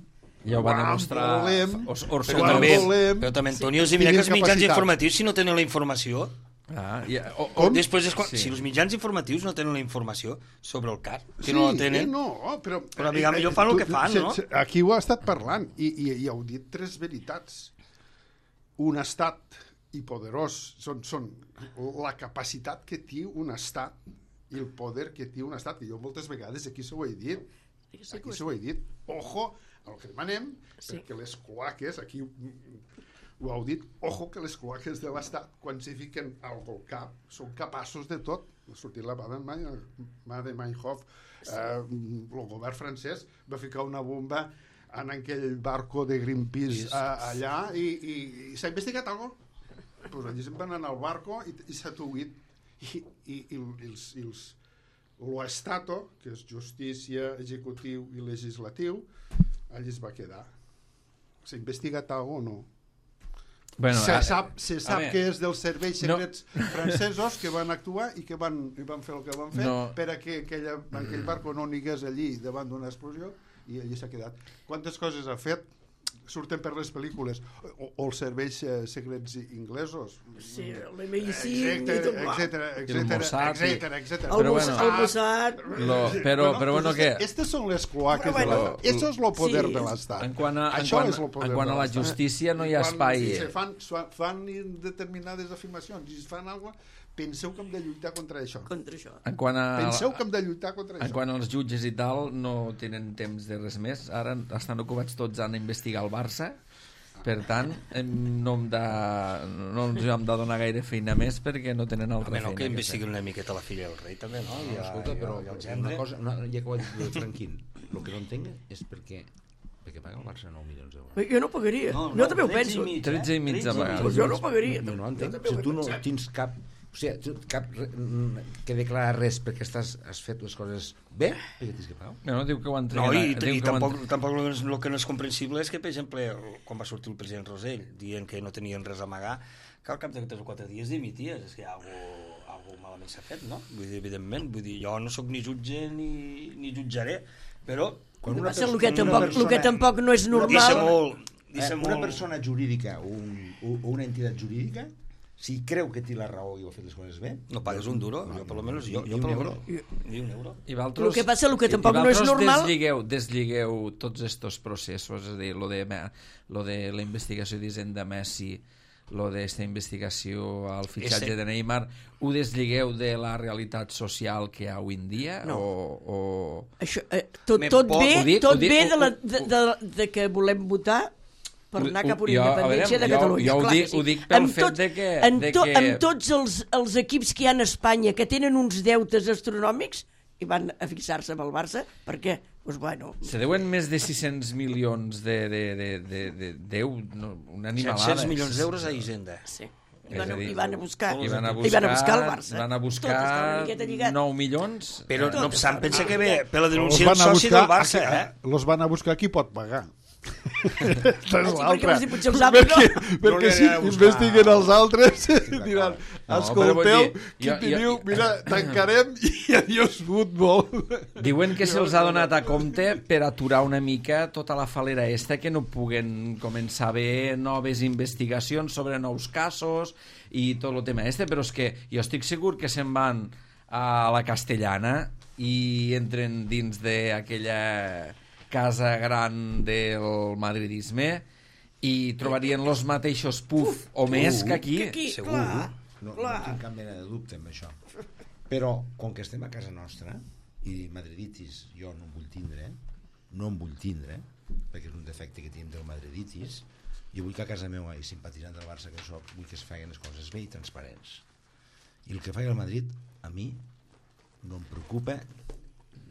Ja ho va quan demostrar volem, Os- Orson Però quan també, volem, però també Antonio, si mira Tenim que els mitjans capacitat. informatius, si no tenen la informació, Ah, i, o, o Com? després és quan, Sí. si els mitjans informatius no tenen la informació sobre el car, si sí, no la tenen, eh, no, però, Però, diguem, millor fan el que fan, no? Aquí ho ha estat parlant i, i, i heu dit tres veritats. Un estat i poderós són, són la capacitat que té un estat i el poder que té un estat, que jo moltes vegades aquí s'ho he dit, aquí s'ho he dit, ojo, el que demanem, Sí. perquè les cloaques, aquí ho heu dit, ojo que les cloaques de l'Estat, quan s'hi fiquen algo al cap, són capaços de tot. Ha sortit la Baden-Meinhof, eh, el govern francès va ficar una bomba en aquell barco de Greenpeace a, allà i, i, i s'ha investigat algo? Pues allí se'n van anar al barco i, i s'ha tuit i, i, i, i els, i els l'Estato, que és justícia, executiu i legislatiu, allí es va quedar. S'ha investigat algo o no? Bueno, se a, sap, se sap a que és dels serveis secrets no. francesos que van actuar i que van, i van fer el que van fer no. per a que aquella, aquell barco no anigués allí davant d'una explosió i allí s'ha quedat. Quantes coses ha fet? Surten per les pel·lícules o, o els serveis eh, secrets inglesos, sí, l'M I cinc etcètera, etcètera, etcètera, el Mossad, però però bueno, què? Aquestes són les cloaques de la... Això és el poder de l'Estat. En quant a, en quant, en quant a la justícia no hi ha espai. Si fan, fan determinades afirmacions i fan alguna cosa, penseu que hem de lluitar contra això. Contra això. En quant a, penseu que hem de lluitar contra en això. En quant als jutges i tal, no tenen temps de res més. Ara estan ocupats tots a investigar el Barça. Per tant, no hem de, no ens hem de donar gaire feina més perquè no tenen altra feina. No, que investiguen una miqueta la filla del rei, també, no? no escolta, però una cosa, una, ja que ho ha dit Franquín, el que no entenc és perquè perquè paga el Barça nou milions d'euros. Jo no pagaria, no, no, jo també ho penso. tretze i mig a pagar. Jo no pagaria. No, no entenc, si tu no tens cap... O sigui, cap que declarar res perquè estàs, has fet les coses bé, perquè tens que pagar. No, diu que ho entreguen. No, i, i tampoc, tampoc el, el que no és comprensible és que, per exemple, quan va sortir el president Rosell dient que no tenien res a amagar, que al cap de tres o quatre dies dimities. És que algo, algo malament s'ha fet, no? Vull dir, evidentment, vull dir, jo no sóc ni jutge ni, ni jutjaré, però... Quan una persona, el, que tampoc, persona, el que tampoc no és normal... Deixa molt, deixa eh, molt... Una persona jurídica o, un, o una entitat jurídica, si creu que té la raó i ho ha fet les coses bé... No pagues un duro, no, jo per lo menos... Jo, jo per lo menos, ni un euro. I valtros, el que passa, el que tampoc no és normal... Desligueu, desligueu tots estos processos, és a dir, lo de, lo de la investigació d'Hisenda Messi, lo d'esta investigació al fitxatge de Neymar, ho desligueu de la realitat social que hi ha avui en dia? No. O, o... Això, eh, tot, tot bé, dic, tot dic, bé de, la, de, de, de que volem votar per anar cap a una independència de Catalunya. Jo, jo ho, dic, sí. ho dic pel amb fet tot, de que... En de to, que... amb tots els, els equips que hi ha a Espanya que tenen uns deutes astronòmics i van a fixar-se amb el Barça, per què? Pues bueno... Se deuen més de sis-cents milions de, de, de, de, de, de no, una animalada. set-cents milions d'euros a Hisenda. Sí. I van, dir, i van a buscar i van a buscar, i van a buscar el Barça. Van a buscar nou milions. Però eh, no obstant, pensa que bé, per la denúncia del soci del Barça, eh? Los van a buscar qui pot pagar. Aquesta és l'altra. Perquè, perquè si investiguen els altres diran, escolteu, qui teniu, mira, tancarem i adiós futbol. Diuen que se'ls ha donat a compte per aturar una mica tota la falera esta, que no puguen començar a haver noves investigacions sobre nous casos i tot el tema este, però és que jo estic segur que se'n van a la Castellana i entren dins d'aquella casa gran del madridisme i trobarien els mateixos puf o més que aquí. Que aquí, segur. Clar, no, clar. no tinc cap mena de dubte amb això. Però, com que estem a casa nostra, i madriditis jo no en vull tindre, no en vull tindre, perquè és un defecte que tenim del madriditis, jo vull que a casa meva, i simpatitzant del Barça que soc, vull que es facin les coses bé i transparents. I el que faci el Madrid, a mi, no em preocupa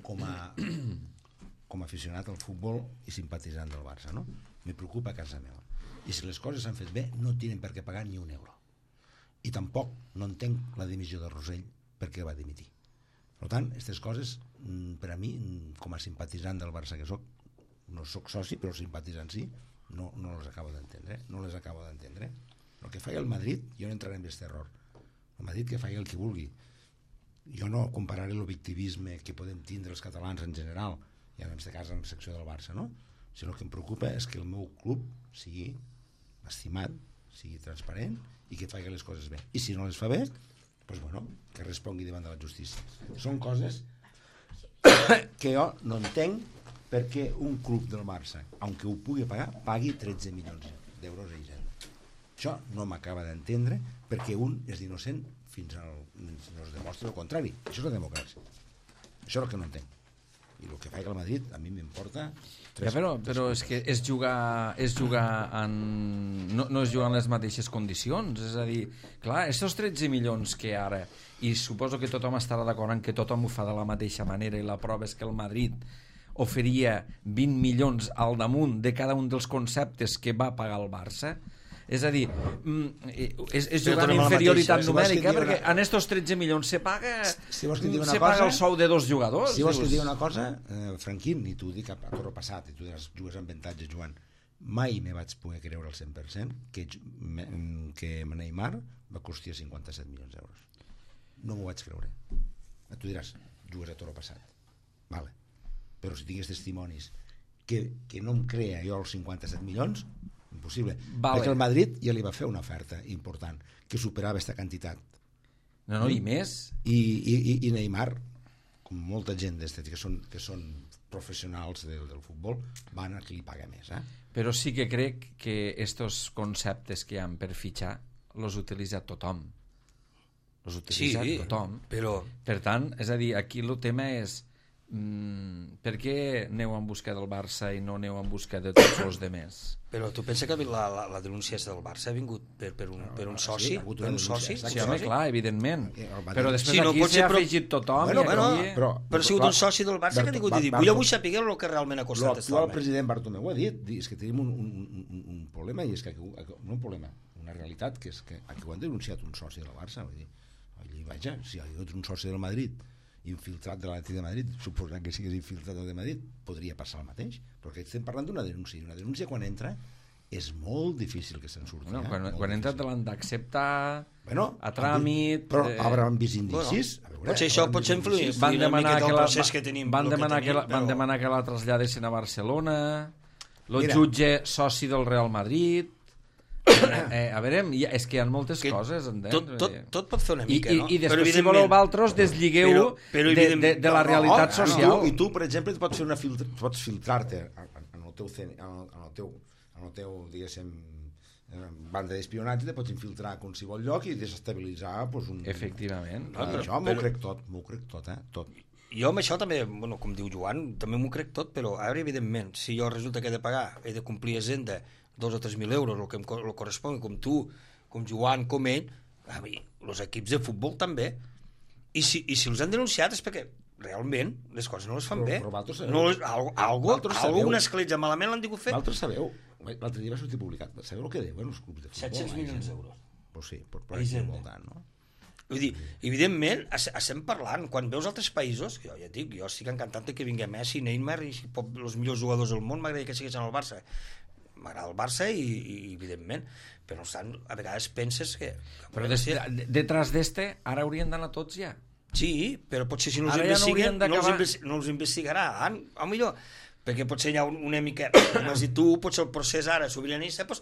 com a... com a aficionat al futbol i simpatitzant del Barça, no? Me preocupa a casa meva. I si les coses s'han fet bé, no tenen per què pagar ni un euro. I tampoc no entenc la dimissió de Rosell perquè va dimitir. Per tant, aquestes coses, per a mi, com a simpatitzant del Barça que soc, no soc soci, però simpatitzant sí, no, no les acabo d'entendre. No les acabo d'entendre. El que faci el Madrid, jo no entraré en aquest error. El Madrid que faci el que vulgui. Jo no compararé el victimisme que podem tindre els catalans en general, i en aquest cas en la secció del Barça, no? Si el que em preocupa és que el meu club sigui estimat, sigui transparent i que faci les coses bé. I si no les fa bé, doncs bueno, que respongui davant de la justícia. Són coses que jo no entenc perquè un club del Barça, aunque ho pugui pagar, pagui tretze milions d'euros a Hisenda. Això no m'acaba d'entendre perquè un és innocent fins al, no es demostra el contrari. Això és la democràcia. Això és el que no entenc. I el que faig al Madrid a mi m'importa tres, ja, però, però és que és jugar, és jugar en... no, no és jugar en les mateixes condicions, és a dir, clar, estos tretze milions que ara, i suposo que tothom estarà d'acord en que tothom ho fa de la mateixa manera i la prova és que el Madrid oferia vint milions al damunt de cada un dels conceptes que va pagar el Barça? És a dir, és, és jugar amb inferioritat mateixa, numèrica, si perquè una... en estos tretze milions se paga, si vols que digui una se cosa, paga el sou de dos jugadors. Si vols que digui una cosa, eh, Franquín, i t'ho dic a, a torre passat, i tu jugues amb avantatge, Joan, mai me vaig poder creure al cent per cent que, que Neymar va costar cinquanta-set milions d'euros. No m'ho vaig creure. Tu diràs, jugues a torre passat. Vale. Però si tingués testimonis que, que no em crea jo els cinquanta-set milions, impossible, vale. Perquè el Madrid ja li va fer una oferta important que superava aquesta quantitat. No, no, i més. I, i, i Neymar, com molta gent que són, que són professionals del, del futbol, van a qui li paga més. Eh? Però sí que crec que estos conceptes que hi ha per fitxar los utilitza tothom. Los utilitza sí, tothom. Però... Per tant, és a dir, aquí el tema és Mm, per què aneu en busca del Barça i no aneu en busca de tots els demés? Però tu pensa que la, la, la denúncia del Barça ha vingut per, per, un, per un soci? Sí, per un soci? Sí, home, clar, evidentment. Però després sí, no, aquí s'ha però... afegit tothom. Bueno, i bueno, aquí... però, però ha sigut un soci del Barça que ha tingut de dir, vull avui saber el que realment ha costat. L'actual president Bartomeu ha dit, és que tenim un, un, un, un problema, i és que, no un problema, una realitat, que és que aquí ho han denunciat un soci del Barça. Vull dir, allí, vaja, si hi ha un soci del Madrid infiltrat de l'Atlètic de Madrid, suposant que sigués infiltrat de Madrid, podria passar el mateix, perquè estem parlant d'una denúncia, i una denúncia quan entra és molt difícil que se'n surti. Bueno, eh? quan, quan entra te l'han d'acceptar, bueno, a tràmit... Però eh... hauran vist indicis? Bueno, veure, potser això pot ser influir van demanar que la, que tenim, van, demanar que, que tenim, la, però... van demanar que la traslladessin a Barcelona, el Mira. jutge soci del Real Madrid... Eh, a veure, és que hi ha moltes que coses, entens? Tot, tot, tot pot fer una mica, I, no? I, i després, si voleu vosaltres, desligueu però, però, de, de, de la realitat no, social. No, I tu, per exemple, pots fer una filtra, pots filtrar-te en el teu, en el teu, en el teu diguéssim, banda d'espionatge, te pots infiltrar a qualsevol lloc i desestabilitzar pues, un... Efectivament. No, però, això m'ho crec tot, m'ho crec tot, eh? Tot. Jo amb això també, bueno, com diu Joan, també m'ho crec tot, però ara, evidentment, si jo resulta que he de pagar, he de complir agenda dos o tres mil euros, el que em el correspon, com tu, com Joan, com ell, a mi, els equips de futbol també. I si, i si els han denunciat és perquè realment les coses no les fan però, bé. Però vosaltres sabeu. No les, algo, algo, algo una escletja malament l'han digut fer. Vosaltres sabeu, l'altre dia va sortir publicat, sabeu el que deuen els clubs de futbol? set-cents milions d'euros. Pues sí, per però és molt tant, no? Vull dir, evidentment, estem parlant, quan veus altres països, jo ja et dic, jo estic encantat que vingui Messi, Neymar i els millors jugadors del món, m'agradaria que siguessin al Barça. M'agrada el Barça i, i evidentment, però estan, a vegades penses que... Però des, de, detrás d'este, ara haurien d'anar tots ja. Sí, però potser si no els ara investiguen, ja no, no, els investi no els investigarà, a millor, perquè potser hi ha una mica, com has dit tu, potser el procés ara sobiranista pues,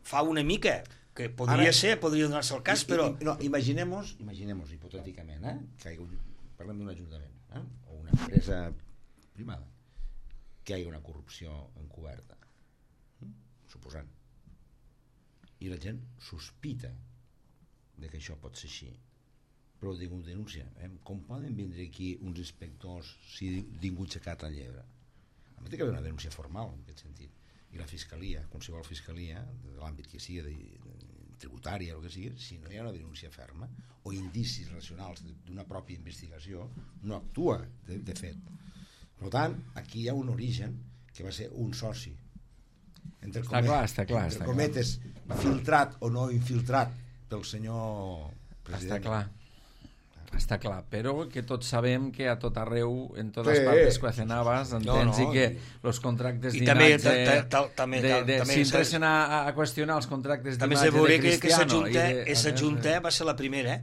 fa una mica, que podria ara, ser, podria donar-se el cas, però... No, imaginem-nos, imaginem-nos hipotèticament, eh, que hi ha un, parlem d'un ajuntament, eh, o una empresa privada, que hi ha una corrupció encoberta, suposant, i la gent sospita de que això pot ser així, però ho diu denúncia, eh? Com poden vindre aquí uns inspectors si ningú ha aixecat la llebre? A mi té que haver una denúncia formal en aquest sentit, i la fiscalia, qualsevol fiscalia de l'àmbit que sigui, de, de tributària o el que sigui, si no hi ha una denúncia ferma o indicis racionals d'una pròpia investigació, no actua de, de fet. Per tant, aquí hi ha un origen que va ser un soci entre està clar, està clar, entre està cometes clar. Filtrat o no infiltrat pel senyor president. Està clar, està clar, però que tots sabem que a tot arreu, en totes sí. partes coacenabas, entens, no, no, i que els contractes d'imatge si interessen a, a qüestionar els contractes d'imatge de Cristiano que, que aquesta junta va ser la primera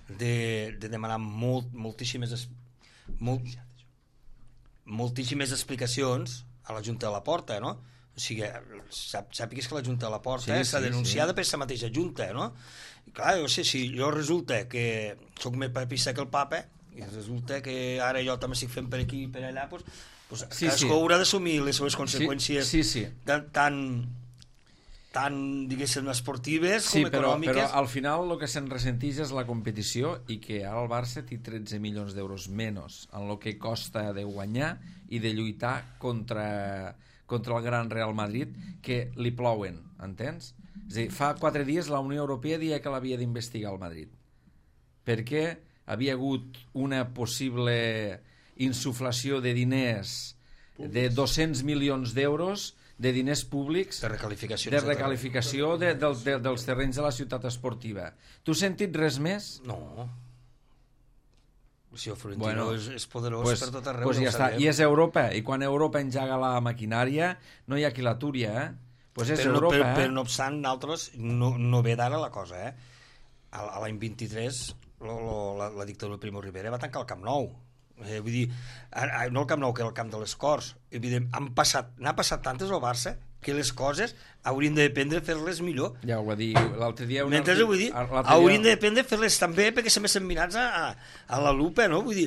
de, de demanar molt, moltíssimes molt, moltíssimes explicacions a la Junta de la Porta, no? O sigui, sap, sàpigues que la Junta de la Porta sí, està sí, denunciada sí. per aquesta mateixa Junta, no? I clar, jo sé, si jo resulta que sóc més papista que el papa, i resulta que ara jo també estic fent per aquí i per allà, doncs, doncs sí, cadascú sí. haurà d'assumir les seves conseqüències sí, sí, sí. tan, tan, tan diguéssim, esportives sí, com però, econòmiques. Però al final el que se'n ressenteix és la competició i que ara el Barça té tretze milions d'euros menys en el que costa de guanyar i de lluitar contra... contra el gran Real Madrid, que li plouen, entens? És a dir, fa quatre dies la Unió Europea deia que l'havia d'investigar el Madrid, perquè havia hagut una possible insuflació de diners de dos-cents milions d'euros de diners públics De recalificació. de recalificació de, de, de, dels terrenys de la ciutat esportiva. Tu has sentit res més? No. Si el Florentino Bueno, és, és poderós pues, per tot arreu. pues no ja ho està. sabem. I és Europa, i quan Europa enjaga la maquinària no hi ha qui l'aturi, eh? Pues és però, no, Europa, però, eh? però no obstant, nosaltres no, no ve d'ara la cosa, eh? A, a l'any vint-i-tres lo, lo, la, la dictadura de Primo Rivera va tancar el Camp Nou. Eh, vull dir, a, a, no el Camp Nou, que era el Camp de les Corts. Evident, han passat, n'ha passat tantes al Barça que les coses haurien de dependre fer-les millor. Ja ho va dir l'altre dia. Un Mentre artic- vull dir, l'altre haurien dia- de dependre fer-les també perquè sempre estem mirats a, a, a la lupa, no? Vull dir,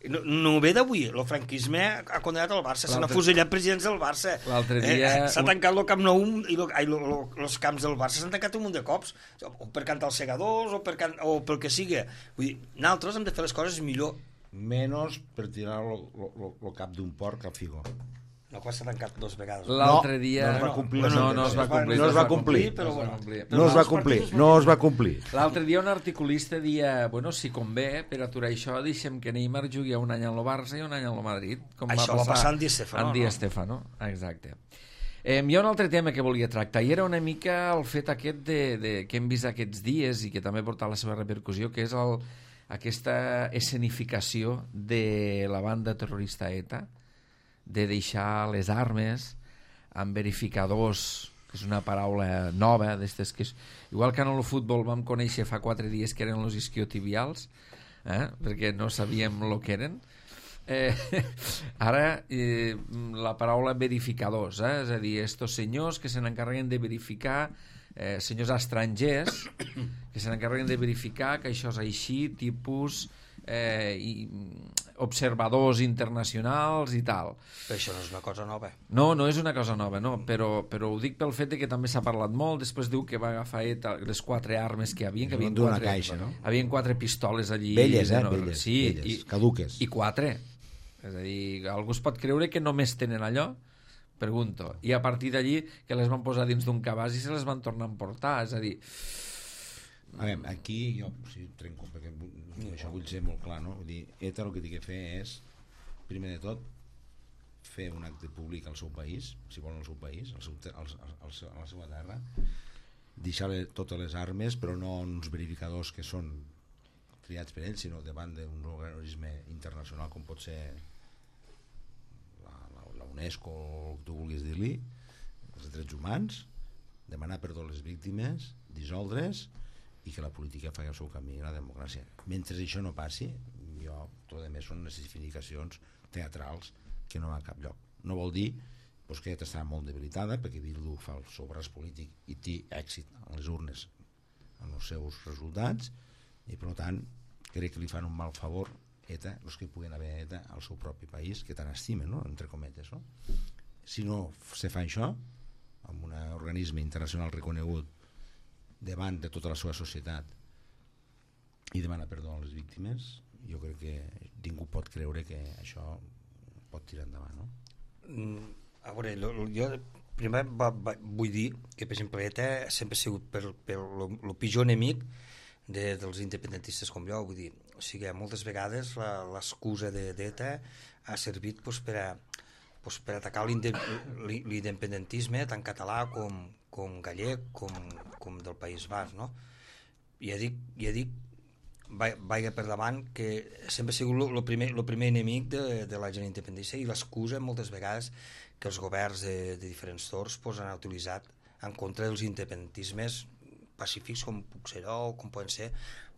no, no ve d'avui, el franquisme ha condenat el Barça, s'han L'altre- afusellat presidents del Barça. L'altre dia- Eh, s'ha un- tancat el Camp Nou i lo, ai, lo, lo, els camps del Barça s'han tancat un munt de cops, o per cantar els segadors o per, can, o pel que sigui. Vull dir, nosaltres hem de fer les coses millor. Menos per tirar el cap d'un porc al figo. No, que s'ha tancat dues vegades. L'altre dia... no es va complir. No, no es va complir. No es va complir. però No es va bueno. complir. No es va complir, no es va complir. L'altre dia un articulista dia, bueno, si convé, per aturar això, deixem que Neymar jugui un any al Barça i un any al Madrid. Com Això va passar amb Di Stefano, Amb Di no? Stefano, exacte. Eh, hi ha un altre tema que volia tractar, i era una mica el fet aquest de, de, que hem vist aquests dies i que també ha portat la seva repercussió, que és el, aquesta escenificació de la banda terrorista ETA, de deixar les armes amb verificadors, que és una paraula nova, d'estes que és... Igual que en el futbol vam conèixer fa quatre dies que eren els isquiotibials, eh? perquè no sabíem el que eren, eh, ara eh, la paraula verificadors, eh? és a dir, estos senyors que se n'encarreguen de verificar, eh, senyors estrangers que se n'encarreguen de verificar que això és així, tipus eh, i, observadors internacionals i tal. Però això no és una cosa nova. No, no és una cosa nova, no, però, però ho dic pel fet de que també s'ha parlat molt. Després diu que va agafar ETA les quatre armes que hi havia, que havien D'una quatre, caixa, no? havien quatre pistoles allí. Velles, eh? no, Velles, sí, velles, i, caduques. I quatre. És a dir, algú es pot creure que només tenen allò? Pregunto. I a partir d'allí que les van posar dins d'un cabàs i se les van tornar a emportar. És a dir... A veure, aquí jo sí, trenco, perquè això vull ser molt clar, no? Vull dir, ETA el que té que fer és, primer de tot, fer un acte públic al seu país, si volen al seu país, al seu, al, al, al, a la seva terra, deixar totes les armes, però no uns verificadors que són triats per ells, sinó davant d'un organisme internacional com pot ser la, la, la UNESCO o el que tu vulguis dir-li, els drets humans, demanar perdó a les víctimes, dissoldre's, i que la política faci el seu camí a la democràcia. Mentre això no passi, jo, tot a més són necessificacions teatrals que no van a cap lloc. No vol dir doncs, que ja està molt debilitada, perquè Bildu fa el seu braç polític i té èxit a les urnes en els seus resultats, i per tant crec que li fan un mal favor ETA, els que puguen haver ETA al seu propi país, que tant estimen, no? Entre cometes, no? Si no se fa això amb un organisme internacional reconegut davant de tota la seva societat i demana perdó a les víctimes, jo crec que ningú pot creure que això pot tirar endavant, no? Mm, a veure, lo, lo, jo primer va, va, vull dir que per exemple ETA sempre ha sigut per, per lo, lo pitjor enemic de, dels independentistes com jo, vull dir, o sigui, moltes vegades l'excusa d'ETA ha servit pues, per, a, pues, per atacar l'independentisme tant català com, com gallec, com, com del País Basc, no? Ja dic, ja dic vaig per davant que sempre ha sigut el primer, lo primer enemic de, de la gent independentista, i l'excusa moltes vegades que els governs de, de diferents torns pues, han utilitzat en contra dels independentismes pacífics com puc ser jo, o com poden ser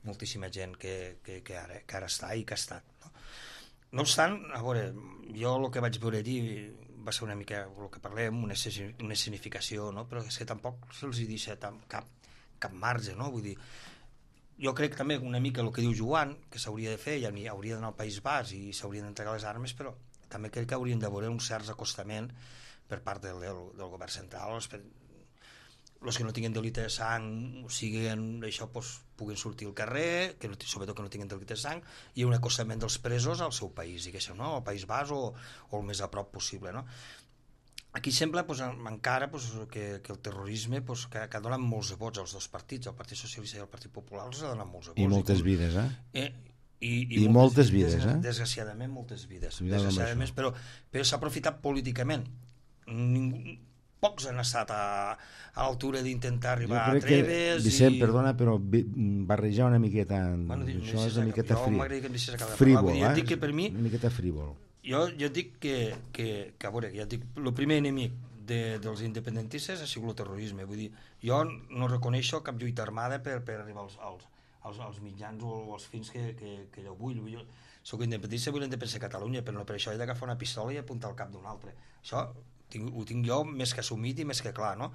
moltíssima gent que, que, que, ara, que ara està i que ha estat, no? No obstant, a veure, jo el que vaig veure allí va ser una mica el que parlem, una, una escenificació, no? Però és que tampoc se'ls hi deixa cap, cap marge, no? Vull dir, jo crec també una mica el que diu Joan, que s'hauria de fer, ja hauria d'anar al País Basc i s'haurien d'entregar les armes, però també crec que haurien de veure un cert acostament per part del, del, del govern central. Els, els que no tinguin delicte de sang, o sigui, això pues, puguin sortir al carrer, que no, sobretot que no tinguin delicte de sang, i un acostament dels presos al seu país, diguéssim, no? Al País Basc o, o el més a prop possible, no? Aquí sembla pues, encara pues, que, que el terrorisme pues, que, que ha donat molts vots als dos partits, el Partit Socialista i el Partit Popular, els ha donat molts vots. I moltes vides, eh? eh I, I moltes vides, desgra eh? Desgraciadament, moltes vides. Cuidado amb Desgraciadament, això. però, però s'ha aprofitat políticament. Ningú, pocs han estat a, a l'altura d'intentar arribar a Treves. Vicent, i... perdona, però barrejar una miqueta... Bueno, això és una miqueta jo frí... m'agradaria que em deixés acabar de frívol, parlar. Vull dir, eh? dic que per mi, una miqueta frívol. jo, jo dic que, que, que, a veure, ja dic, el primer enemic de, dels independentistes ha sigut el terrorisme. Vull dir, jo no reconeixo cap lluita armada per, per arribar als, als, als, als mitjans o als fins que, que, que jo vull. Jo soc independentista, vull la independència de Catalunya, però no per això he d'agafar una pistola i apuntar al cap d'un altre. Això tinc, ho tinc jo més que assumit i més que clar, no?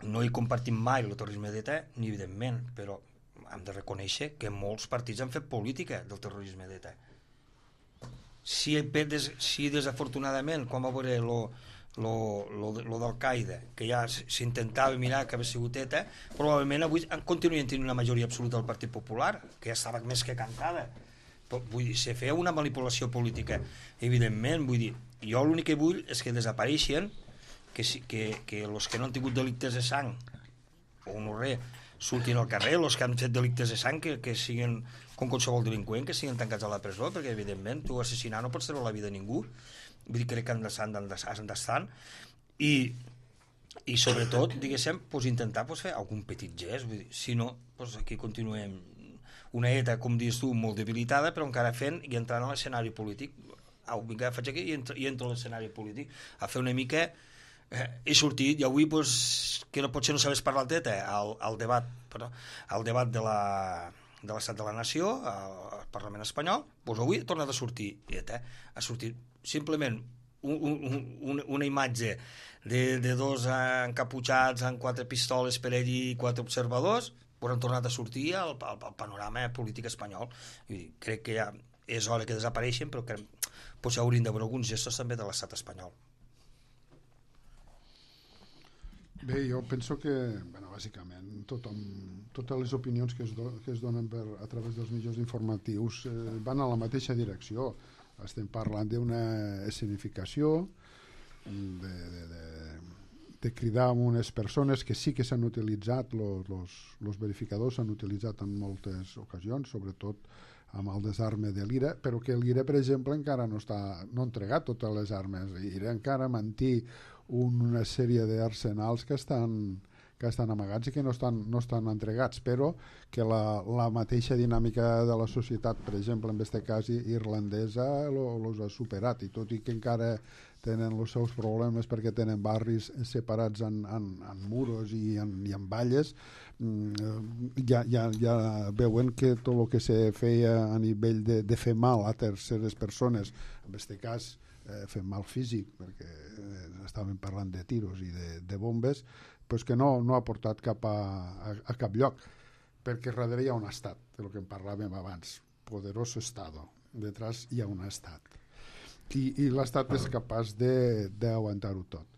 No he compartit mai el terrorisme d'ETA, ni evidentment, però hem de reconèixer que molts partits han fet política del terrorisme d'ETA. Si, des, si desafortunadament, com va veure lo, lo, lo, lo d'Al-Qaeda, que ja s'intentava mirar que havia sigut ETA, probablement avui continuïen tenint una majoria absoluta del Partit Popular, que ja estava més que cantada. Però, vull dir, se feia una manipulació política, evidentment, vull dir, jo l'únic que vull és que desapareixen, que, que, que els que no han tingut delictes de sang o no res, surtin al carrer, els que han fet delictes de sang que, que siguin com qualsevol delinqüent, que siguin tancats a la presó, perquè evidentment tu assassinar no pots treure la vida a ningú. Vull dir, crec que han d'estar i, i sobretot, diguéssim, pues, intentar pues, fer algun petit gest, vull dir, si no, pues, aquí continuem una ETA, com dius tu, molt debilitada, però encara fent i entrant a l'escenari polític. Au, vinga, faig aquí i entro, i entro a l'escenari polític a fer una mica... Eh, he sortit i avui, pues, que no, potser no sabés parlar d'ETA, al, al debat, perdó, al debat de la de l'Estat de la Nació, al Parlament espanyol, doncs avui ha tornat a sortir ETA, ha sortit simplement un, un, un, una imatge de, de dos encaputxats amb quatre pistoles per allí i quatre observadors, però han tornat a sortir al, al, al panorama polític espanyol. I crec que ja és hora que desapareixen, però que potser haurien d'haver alguns gestos també de l'estat espanyol. Bé, jo penso que, bueno, bàsicament, tothom, totes les opinions que es, do, que es donen per, a través dels mitjans informatius eh, van a la mateixa direcció. Estem parlant d'una escenificació, de, de, de, de cridar a unes persones que sí que s'han utilitzat, els verificadors s'han utilitzat en moltes ocasions, sobretot amb el desarme de l'I R A, però que l'I R A, per exemple, encara no, està, no ha entregat totes les armes. L'I R A encara manté una sèrie d'arsenals que estan, que estan amagats i que no estan, no estan entregats, però que la, la mateixa dinàmica de la societat, per exemple, en aquest cas irlandesa, els ha superat, i tot i que encara tenen els seus problemes perquè tenen barris separats en, en, en muros i en, i en valles, ja, ja, ja veuen que tot el que se feia a nivell de, de fer mal a terceres persones, en aquest cas eh, fer mal físic, perquè eh, estàvem parlant de tiros i de, de bombes, pues que no, no ha portat cap a, a, a cap lloc, perquè darrere hi ha un estat, del que en parlàvem abans, poderoso estado, detrás hi ha un estat. I, i l'estat és capaç d'aguantar-ho tot.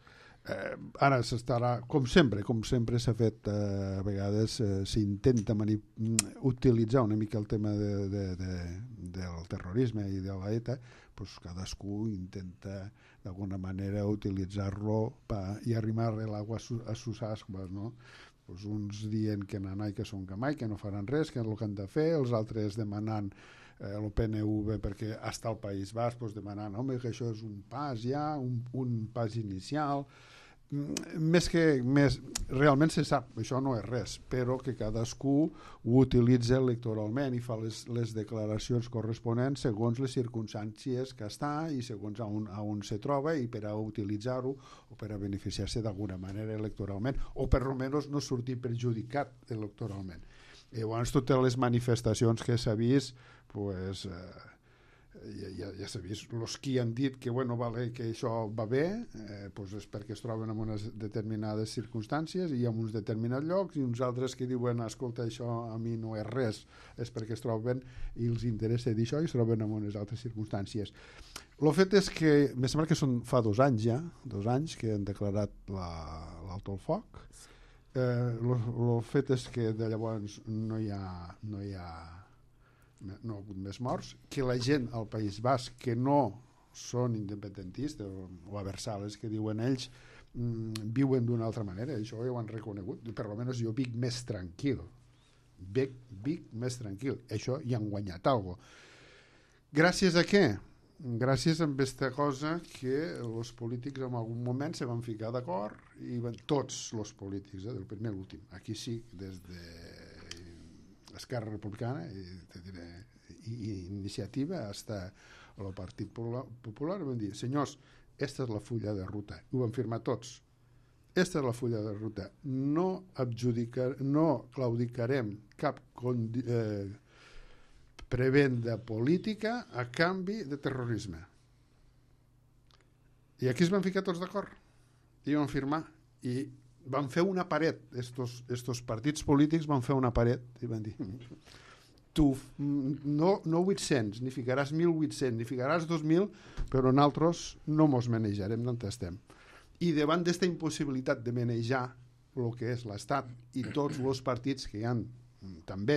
Eh, ara s'estarà, com sempre, com sempre s'ha fet, eh, a vegades eh, s'intenta utilitzar una mica el tema de, de, de, del terrorisme i de la ETA, pues cadascú intenta d'alguna manera utilitzar-lo i arrimar l'aigua a sus ascuas, no? Pues uns dient que nanai que són gamai, que no faran res, que és el que han de fer, els altres demanant eh, el P N V perquè està al País Basc, pues demanant, home, que això és un pas ja, un, un pas inicial. Més que més, realment se sap, això no és res, però que cadascú ho utilitza electoralment i fa les, les declaracions corresponents segons les circumstàncies que està i segons on, on se troba, i per a utilitzar-ho o per a beneficiar-se d'alguna manera electoralment, o per almenys no sortir perjudicat electoralment. I llavors totes les manifestacions que s'ha vist, pues, eh, ja, ja, ja s'ha vist, els qui han dit que, bueno, vale, que això va bé, eh, pues és perquè es troben en unes determinades circumstàncies i en uns determinats llocs, i uns altres que diuen, escolta, això a mi no és res, és perquè es troben i els interessa dir això i es troben en unes altres circumstàncies. El fet és que, me sembla que són fa dos anys ja, dos anys que han declarat l'alto el foc. El eh, fet és que de llavors no hi ha, no hi ha no ha hagut més morts, que la gent al País Basc que no són independentistes o, o aversales, que diuen ells, mmm, viuen d'una altra manera, això ja ho han reconegut, per almenys jo vic més tranquil Vic, Vic més tranquil. Això hi han guanyat alguna cosa. Gràcies a què? Gràcies a aquesta cosa que els polítics en algun moment se van ficar d'acord, i van, tots els polítics, eh, del primer a l'últim, aquí sí, des de Esquerra Republicana i, diré, i, i Iniciativa hasta el Partit Popular, van dir, senyors, esta és la fulla de ruta, ho van firmar tots, esta és la fulla de ruta, no adjudicar, no claudicarem cap condi, eh, prevenda política a canvi de terrorisme. I aquí es van ficar tots d'acord i van firmar i van fer una paret, estos, estos partits polítics van fer una paret i van dir tu no, no vuit-cents, ni ficaràs mil vuit-cents, ni ficaràs dos mil, però nosaltres no mos manejarem d'on estem. I davant d'esta impossibilitat de manejar el que és l'Estat i tots els partits que hi han també